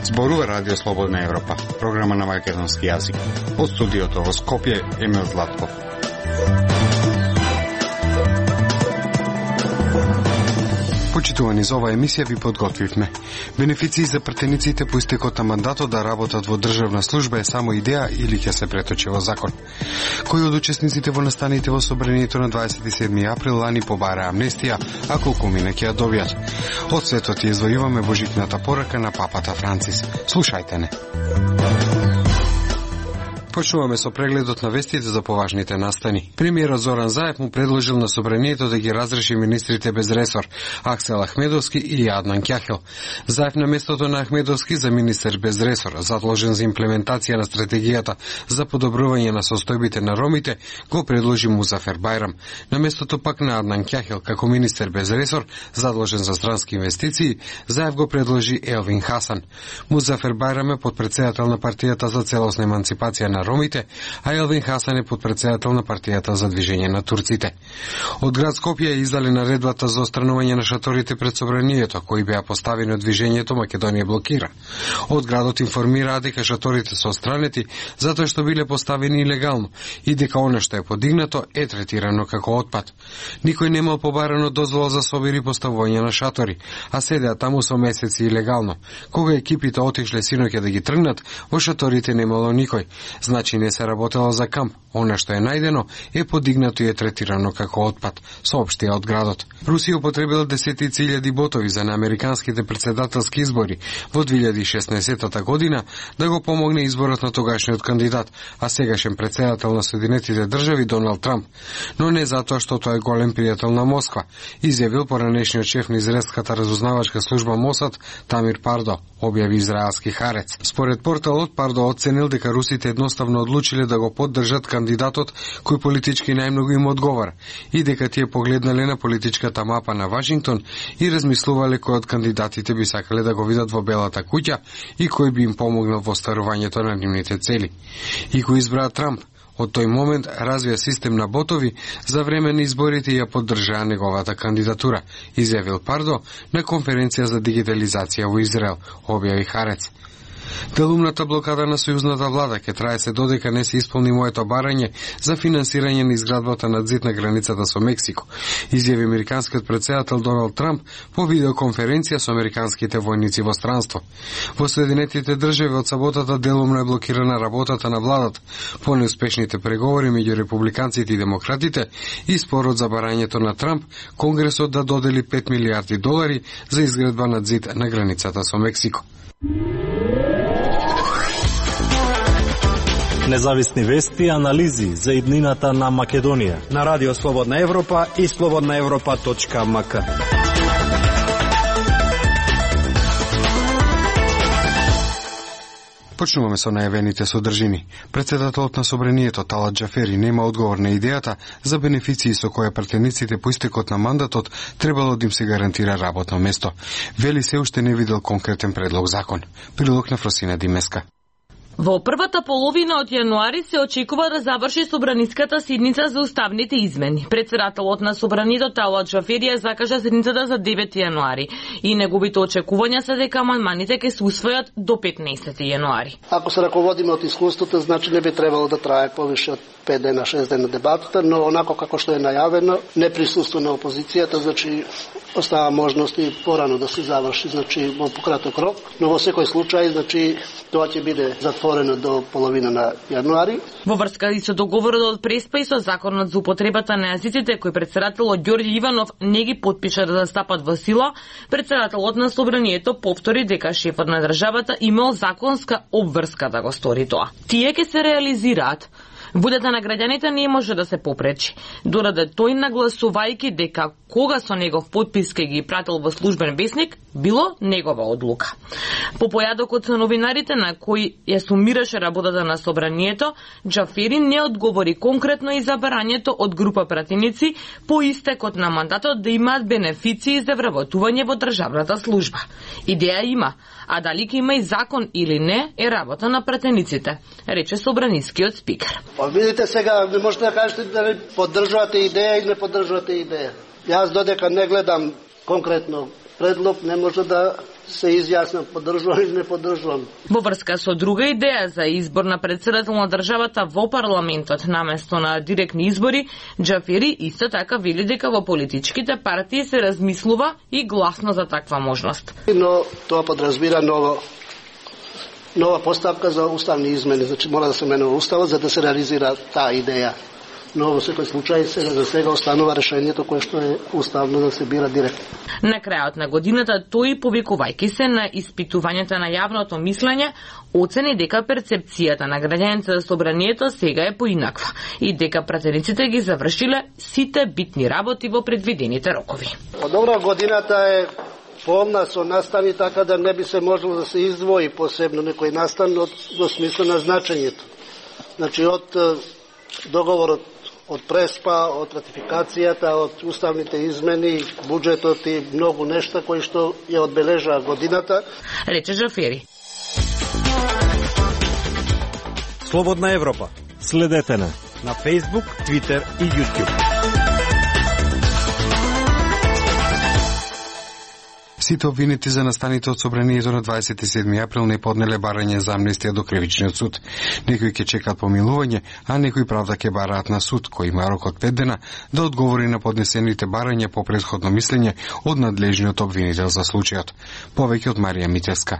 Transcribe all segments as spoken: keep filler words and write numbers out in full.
Зборува Радио Слободна Европа, програма на македонски јазик. Од студиото во Скопје, Емил Златков. Почитувани, за оваа емисија ви подготвивме. Бенефиции за пратениците по истекот на мандатот да работат во државна служба е само идеја или ќе се преточи во закон. Кои од учесниците во настаните во собранието на дваесет и седми април лани побара амнестија, а колку мина ќе ја добијат? Од светот ја извојуваме божикната порака на папата Францис. Слушајте не. Почнуваме со прегледот на вестите за поважните настани. Премиерот Зоран Заев му предложил на собранието да ги разреши министрите без ресор, Аксел Ахмедовски и Аднан Кјахел. Заев на местото на Ахмедовски за министер без ресор, задолжен за имплементација на стратегијата за подобрување на состојбите на ромите, го предложи Музафер Бајрам. На местото пак на Аднан Кјахел, како министер без ресор, задолжен за странски инвестиции, Заев го предложи Елвин Хасан. Музафер Бајрам е подпредседател на партијата за целосна еманципација на ромите, а Елвин Хасан е подпредседател на партијата за движење на турците. Од град Скопје издали наредбата за отстранување на шаторите пред собранието, кои беа поставени од движењето Македонија блокира. Од градот информираа дека шаторите се отстранети затоа што биле поставени илегално и дека она што е подигнато е третирано како отпад. Никој немал побарано дозвола за собир и поставување на шатори, а седеа таму со месеци илегално. Кога екипите отишле синоќа да ги тргнат, во шаторите немало никој. Значи не се работело за камп. Она што е најдено е подигнато и е третирано како отпад, соопштија од градот. Русија употребила десетици илјади ботови за на американските претседателски избори во две илјади и шеснаесетта година да го помогне изборот на тогашниот кандидат, а сегашен претседател на Соединетите држави Доналд Трамп, но не затоа што тој е голем пријател на Москва, изјавил поранешниот шеф на израелската разузнавачка служба Мосад Тамир Пардо, објави израелски Харец. Според порталот, Пардо оценил дека русите едноставно одлучиле да го поддржат кандидатот кој политички најмногу им одговара и дека тие погледнале на политичката мапа на Вашингтон и размислувале кој од кандидатите би сакале да го видат во Белата куќа и кој би им помогнал во остварувањето на нивните цели. И кој избраа Трамп, од тој момент развија систем на ботови за време на изборите и ја поддржаа неговата кандидатура, изјавил Пардо на конференција за дигитализација во Израел, објави Харец. Делумната блокада на сојузната влада ќе трае се додека не се исполни моето барање за финансирање на изградбата на зид на границата со Мексико, изјави американскиот претседател Доналд Трамп по видеоконференција со американските војници во странство. Во Соединетите држави од саботата делумно е блокирана работата на владата по неуспешните преговори меѓу републиканците и демократите и спорот за барањето на Трамп Конгресот да додели пет милијарди долари за изградба на зид на границата со Мексико. Независни вести и анализи за иднината на Македонија на Радио Слободна Европа и слободна европа точка ем ка. Почнуваме со најавените содржини. Председателот на собранието Талат Џафери нема одговор на идејата за бенефиции со која пратениците по истекот на мандатот требало да им се гарантира работно место. Вели се уште не видел конкретен предлог закон. Прилог на Фросина Димеска. Во првата половина од јануари се очекува да заврши собраниската седница за уставните измени. Председателот на собранието Талат Џафери закажа седницата за девети јануари и неговите очекувања се дека амандманите ќе се усвојат до петнаесети јануари. Ако се раководиме од искуството, значи не би требало да трае повише од пет дена, шест дена дебатата, но онако како што е најавено, не присуство на опозицијата, значи остава можност и порано да се заврши, значи во пократок рок, но во секој случај, значи тоа ќе биде затворено до половина на јануари. Во врска и со договорот од Преспа и со законот за употребата на јазиците кој председателот Ѓорѓе Иванов не ги подпиша да застапат во сила, председателот на собранието повтори дека шефот на државата имал законска обврска да го стори тоа. Тие ќе се реализираат. Волјата на граѓаните не може да се попречи, додека тој нагласувајќи дека кога со негов подпис ке ги пратил во службен весник, било негова одлука. По појадокот со новинарите на кои ја сумираше работата на собранието, Џафери не одговори конкретно и за барањето од група пратеници по истекот на мандатот да имаат бенефиции за вработување во државната служба. Идеја има, а дали ќе има и закон или не е работа на пратениците, рече собранискиот спикер. Па видите сега, не можете да кажете дали поддржувате идеја или не поддржувате идеја. Јас додека не гледам конкретно предлог, не може да се изјаснам поддржувам или не поддржувам. Во врска со друга идеја за избор на председател на државата во парламентот наместо на директни избори, Џафери исто така вели дека во политичките партии се размислува и гласно за таква можност. Но тоа подразбира ново нова поставка за уставни измени, значи мора да се менува уставот за да се реализира таа идеја. Но во секој случај сега за сега останува решението кое што е уставно да се бира директно. На крајот на годината тој, повикувајќи се на испитувањата на јавното мислење, оцени дека перцепцијата на граѓаните за собранието сега е поинаква и дека пратениците ги завршиле сите битни работи во предвидените рокови. Па добро, годината е полна со настани, така да не би се можело да се издвои посебно некој настан од во смисла на значењето. Значи од договорот од Преспа, од ратификацијата, од уставните измени, буџетот и многу нешта кои што ја одбележаа годината, рече Џафери. Слободна Европа. Следете на на Facebook, Twitter и YouTube. Сите обвинети за настаните од собранието на дваесет и седми април не поднеле барање за амнестија до кривичниот суд. Некои ќе чекаат помилување, а некои правда ќе бараат на суд, кој има рок од пет дена да одговори на поднесените барања по претходно мислење од надлежниот обвинител за случајот. Повеќе од Марија Митевска.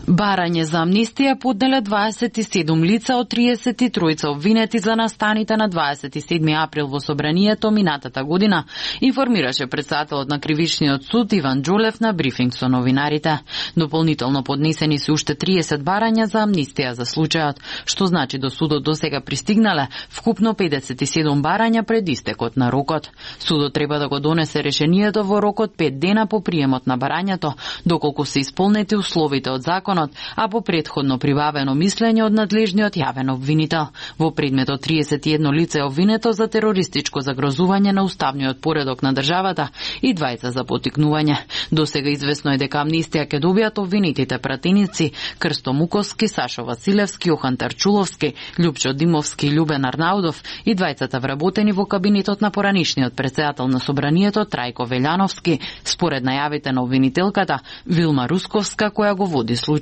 Барање за амнестија поднеле дваесет и седум лица од триесет и тројца обвинети за настаните на дваесет и седми април во собранието минатата година, информираше председателот на Кривичниот суд Иван Џолев на брифинг со новинарите. Дополнително поднесени се уште триесет барања за амнестија за случајот, што значи до судот досега пристигнале вкупно педесет и седум барања пред истекот на рокот. Судот треба да го донесе решението во рокот пет дена по приемот на барањето, доколку се исполнети условите од законот, а по претходно прибавено мислење од надлежниот јавен обвинител. Во предметот триесет и едно лице е обвинето за терористичко загрозување на уставниот поредок на државата и двајца за поттикнување. Досега известно е дека амнестија ќе добијат обвинетите пратеници Крсто Муковски, Сашо Василевски, Охан Тарчуловски, Љупчо Димовски и Љубен Арнаудов и двајцата вработени во кабинетот на поранишниот председател на собранието Трајко Велјановски, според најавите на обвинителката Вилма Русковска, која го води случајот.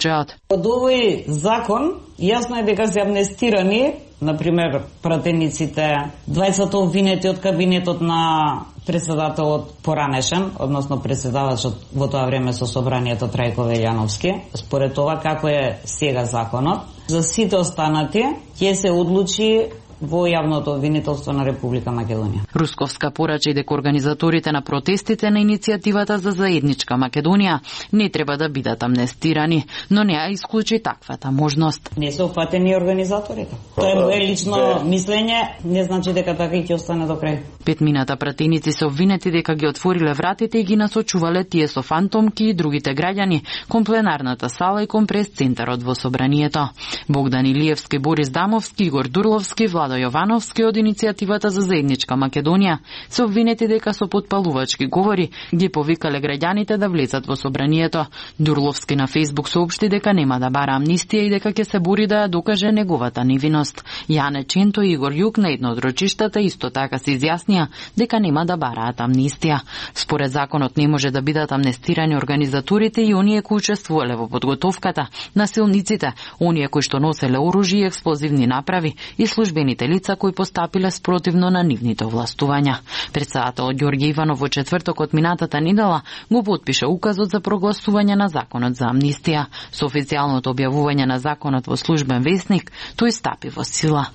Од овој закон јасно е дека се амнестирани, например, пратениците, двајцата обвинети од кабинетот на председателот поранешен, односно председавачот во тоа време со собранието Трајко Велјановски, според тоа како е сега законот. За сите останати ќе се одлучи во јавното обвинителство на Република Македонија. Русковска порача дека организаторите на протестите на иницијативата за заедничка Македонија не треба да бидат амнестирани, но не ја исклучи таквата можност. Не се опфатени организаторите. Тоа е мое лично мислење, не значи дека така и ќе остане до крај. Петмината пратеници се обвинети дека ги отвориле вратите и ги насочувале тие со фантомки и другите граѓани кон пленарната сала и кон прес-центарот во собранието. Богдан Илиевски, Борис Дамовски, Игор Дурловски, Владо Јовановски од иницијативата за заедничка Македонија се обвинети дека со потпалувачки говори ги повикале граѓаните да влезат во собранието. Дурловски на Фејсбук соопшти дека нема да бара амнестија и дека ќе се бори да ја докаже неговата невиност. Јане Ченто и Игор Јук на едно од рочиштата исто така се изјаснија дека нема да бараат амнестија. Според законот не може да бидат амнестирани организаторите и оние кои учествувале во подготовката, насилниците, оние кои што носеле оружје и експлозивни направи и службените лица кои постапиле спротивно на нивните овластувања. Председателот Ѓорѓе Иванов во четвртокот минатата недела го потпише указот за прогласување на законот за амнестија. Со официјалното објавување на законот во службен весник, тој стапи во сила.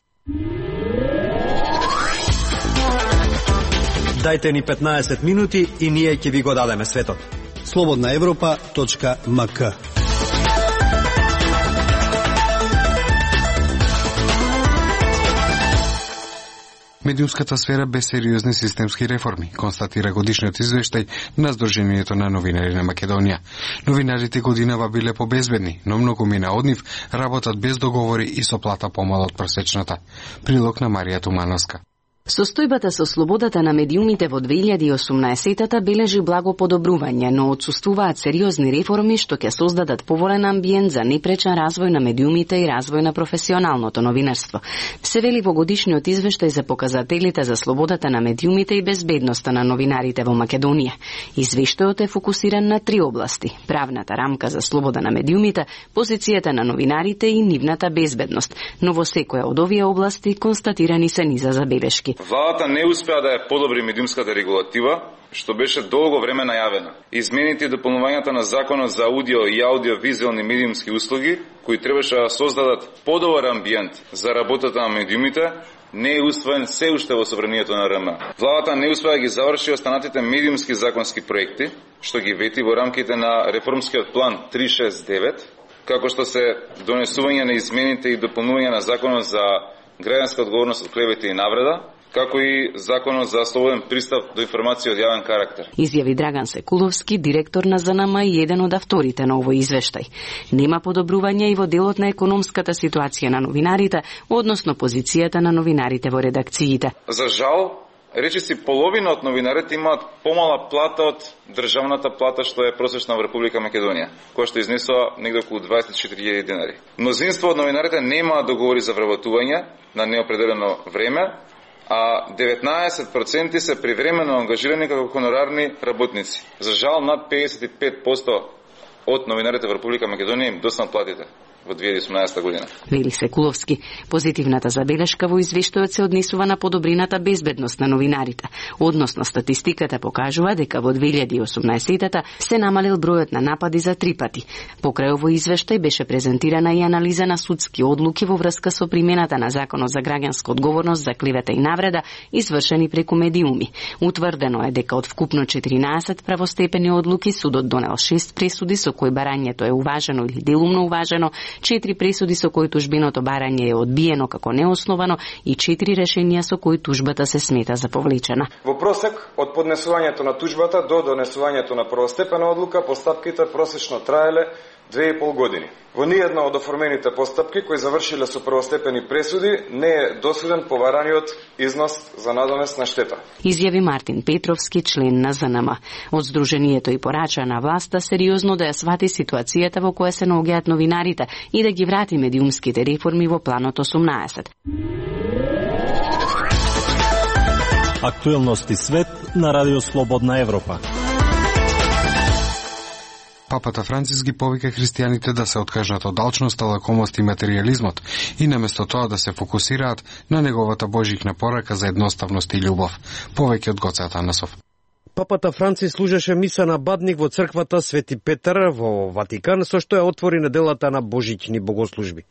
Дајте ни петнаесет минути и ние ќе ви го дадеме светот. слободна европа точка ем ка. Медиумската сфера без сериозни системски реформи, констатира годишниот извештај на Сдруженијето на новинари на Македонија. Новинарите годинава биле побезбедни, но многу мина од нив работат без договори и со плата помала од просечната. Прилог на Марија Тумановска. Состојбата со слободата на медиумите во две илјади и осумнаесетата бележи благо подобрување, но отсуствуваат сериозни реформи што ќе создадат поволен амбиент за непречен развој на медиумите и развој на професионалното новинарство. Се вели во годишниот извештај за показателите за слободата на медиумите и безбедноста на новинарите во Македонија. Извештајот е фокусиран на три области: правната рамка за слобода на медиумите, позицијата на новинарите и нивната безбедност. Но во секоја од овие области констатирани се низа забелешки. Владата не успеа да ја подобри медиумската регулатива, што беше долго време најавена. Измените и дополнувањата на Законот за аудио и аудиовизуелни медиумски услуги, кои требаше да создадат подобар амбиент за работата на медиумите, не е усвоен се уште во собранието на РМ. Владата не успеа да ги заврши останатите медиумски законски проекти, што ги вети во рамките на реформскиот план три шест девет, како што се донесување на измените и дополнување на Законот за граѓанска одговорност од клевети и навреда, како и Законот за слободен пристап до информација од јавен карактер. Изјави Драган Секуловски, директор на ЗНМ и еден од авторите на овој извештај. Нема подобрување и во делот на економската ситуација на новинарите, односно позицијата на новинарите во редакциите. За жал, речиси половина од новинарите имаат помала плата од државната плата што е просечна во Република Македонија, која што изнесува негде околу дваесет и четири илјади денари. Мнозинство од новинарите немаат договори за вработување на неопределено време, а деветнаесет проценти се привремено ангажирани како хонорарни работници. За жал, над педесет и пет проценти од новинарите во Република Македонија им доснат платите во две илјади и осумнаесета година. Вели Секуловски, позитивната забелешка во извештајот се однесува на подобрината безбедност на новинарите. Односно, статистиката покажува дека во две илјади и осумнаесетата се намалил бројот на напади за три пати. Покрај овој извештај беше презентирана и анализа на судски одлуки во врска со примената на Законот за граѓанска одговорност за клевета и навреда, извршени преку медиуми. Утврдено е дека од вкупно четиринаесет правостепени одлуки судот донел шест пресуди со кои барањето е уважено или делумно уважено, четири пресуди со кои тужбиното барање е одбиено како неосновано и четири решенија со кои тужбата се смета за повлечена. Во просек, од поднесувањето на тужбата до донесувањето на првостепена одлука, постапките просечно траеле две и пол години. Во ниедна од оформените постапки кои завршиле со првостепени пресуди не е досуден побараниот износ за надомест на штета. Изјави Мартин Петровски, член на ЗНМ. Од Сдруженијето и порача на власта сериозно да ја свати ситуацијата во која се наоѓаат новинарите и да ги врати медиумските реформи во планот осумнаесет. Актуелности свет на Радио Слободна Европа. Папата Францис ги повика христијаните да се откажат од алчноста, лакомост и материјализмот и наместо тоа да се фокусираат на неговата божјична порака за едноставност и љубов. Повеќе од Гоце Атанасов. Папата Францис служеше миса на бадник во црквата Свети Петар во Ватикан, со што ја отвори неделата на божични богослужби.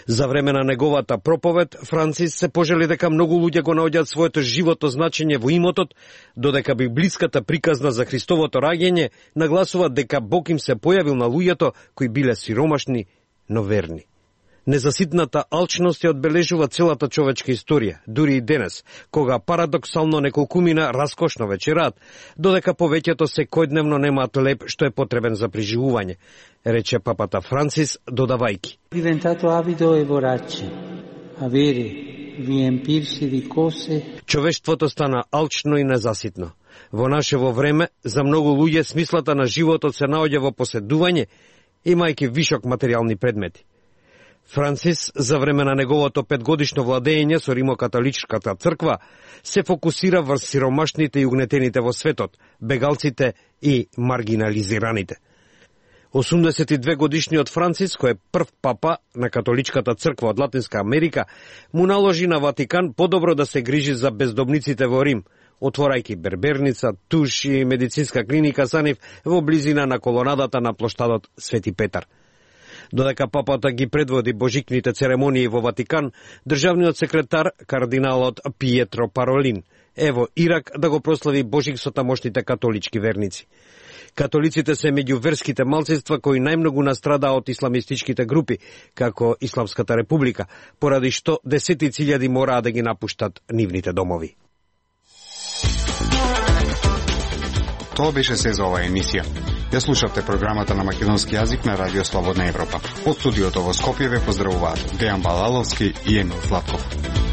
За време на неговата проповед, Францис се пожели дека многу луѓе го наоѓаат своето живото значење во имотот, додека библиската приказна за Христовото раѓање нагласува дека Бог им се појавил на луѓето кои биле сиромашни, но верни. Незаситната алчност ја одбележува целата човечка историја, дури и денес, кога парадоксално неколкумина раскошно вечерат, додека повеќето секојдневно немаат леп што е потребен за преживување, рече папата Францис, додавајки. Diventato avido e vorace, avere, riempirsi di cose. Човештвото стана алчно и незаситно. Во нашево време, за многу луѓе смислата на животот се наоѓа во поседување, имајќи вишок материјални предмети. Францис, за време на неговото петгодишно владење со Римокатоличката црква, се фокусира врз сиромашните и угнетените во светот, бегалците и маргинализираните. осумдесет и две годишниот Францис, кој е прв папа на католичката црква од Латинска Америка, му наложи на Ватикан подобро да се грижи за бездомниците во Рим, отворајќи берберница, туш и медицинска клиника за нив во близина на колонадата на плоштадот Свети Петар. Додека папата ги предводи божикните церемонии во Ватикан, државниот секретар, кардиналот Пиетро Паролин, е во Ирак да го прослави божик со тамошните католички верници. Католиците се меѓу верските малцинства кои најмногу настрадаа од исламистичките групи, како Исламската република, поради што десетици илјади мораа да ги напуштат нивните домови. Тоа беше се за оваа емисија. Ја слушавте програмата на македонски јазик на Радио Слободна Европа. Од студиото во Скопје ве поздравуваат Дејан Балаловски и Емил Златков.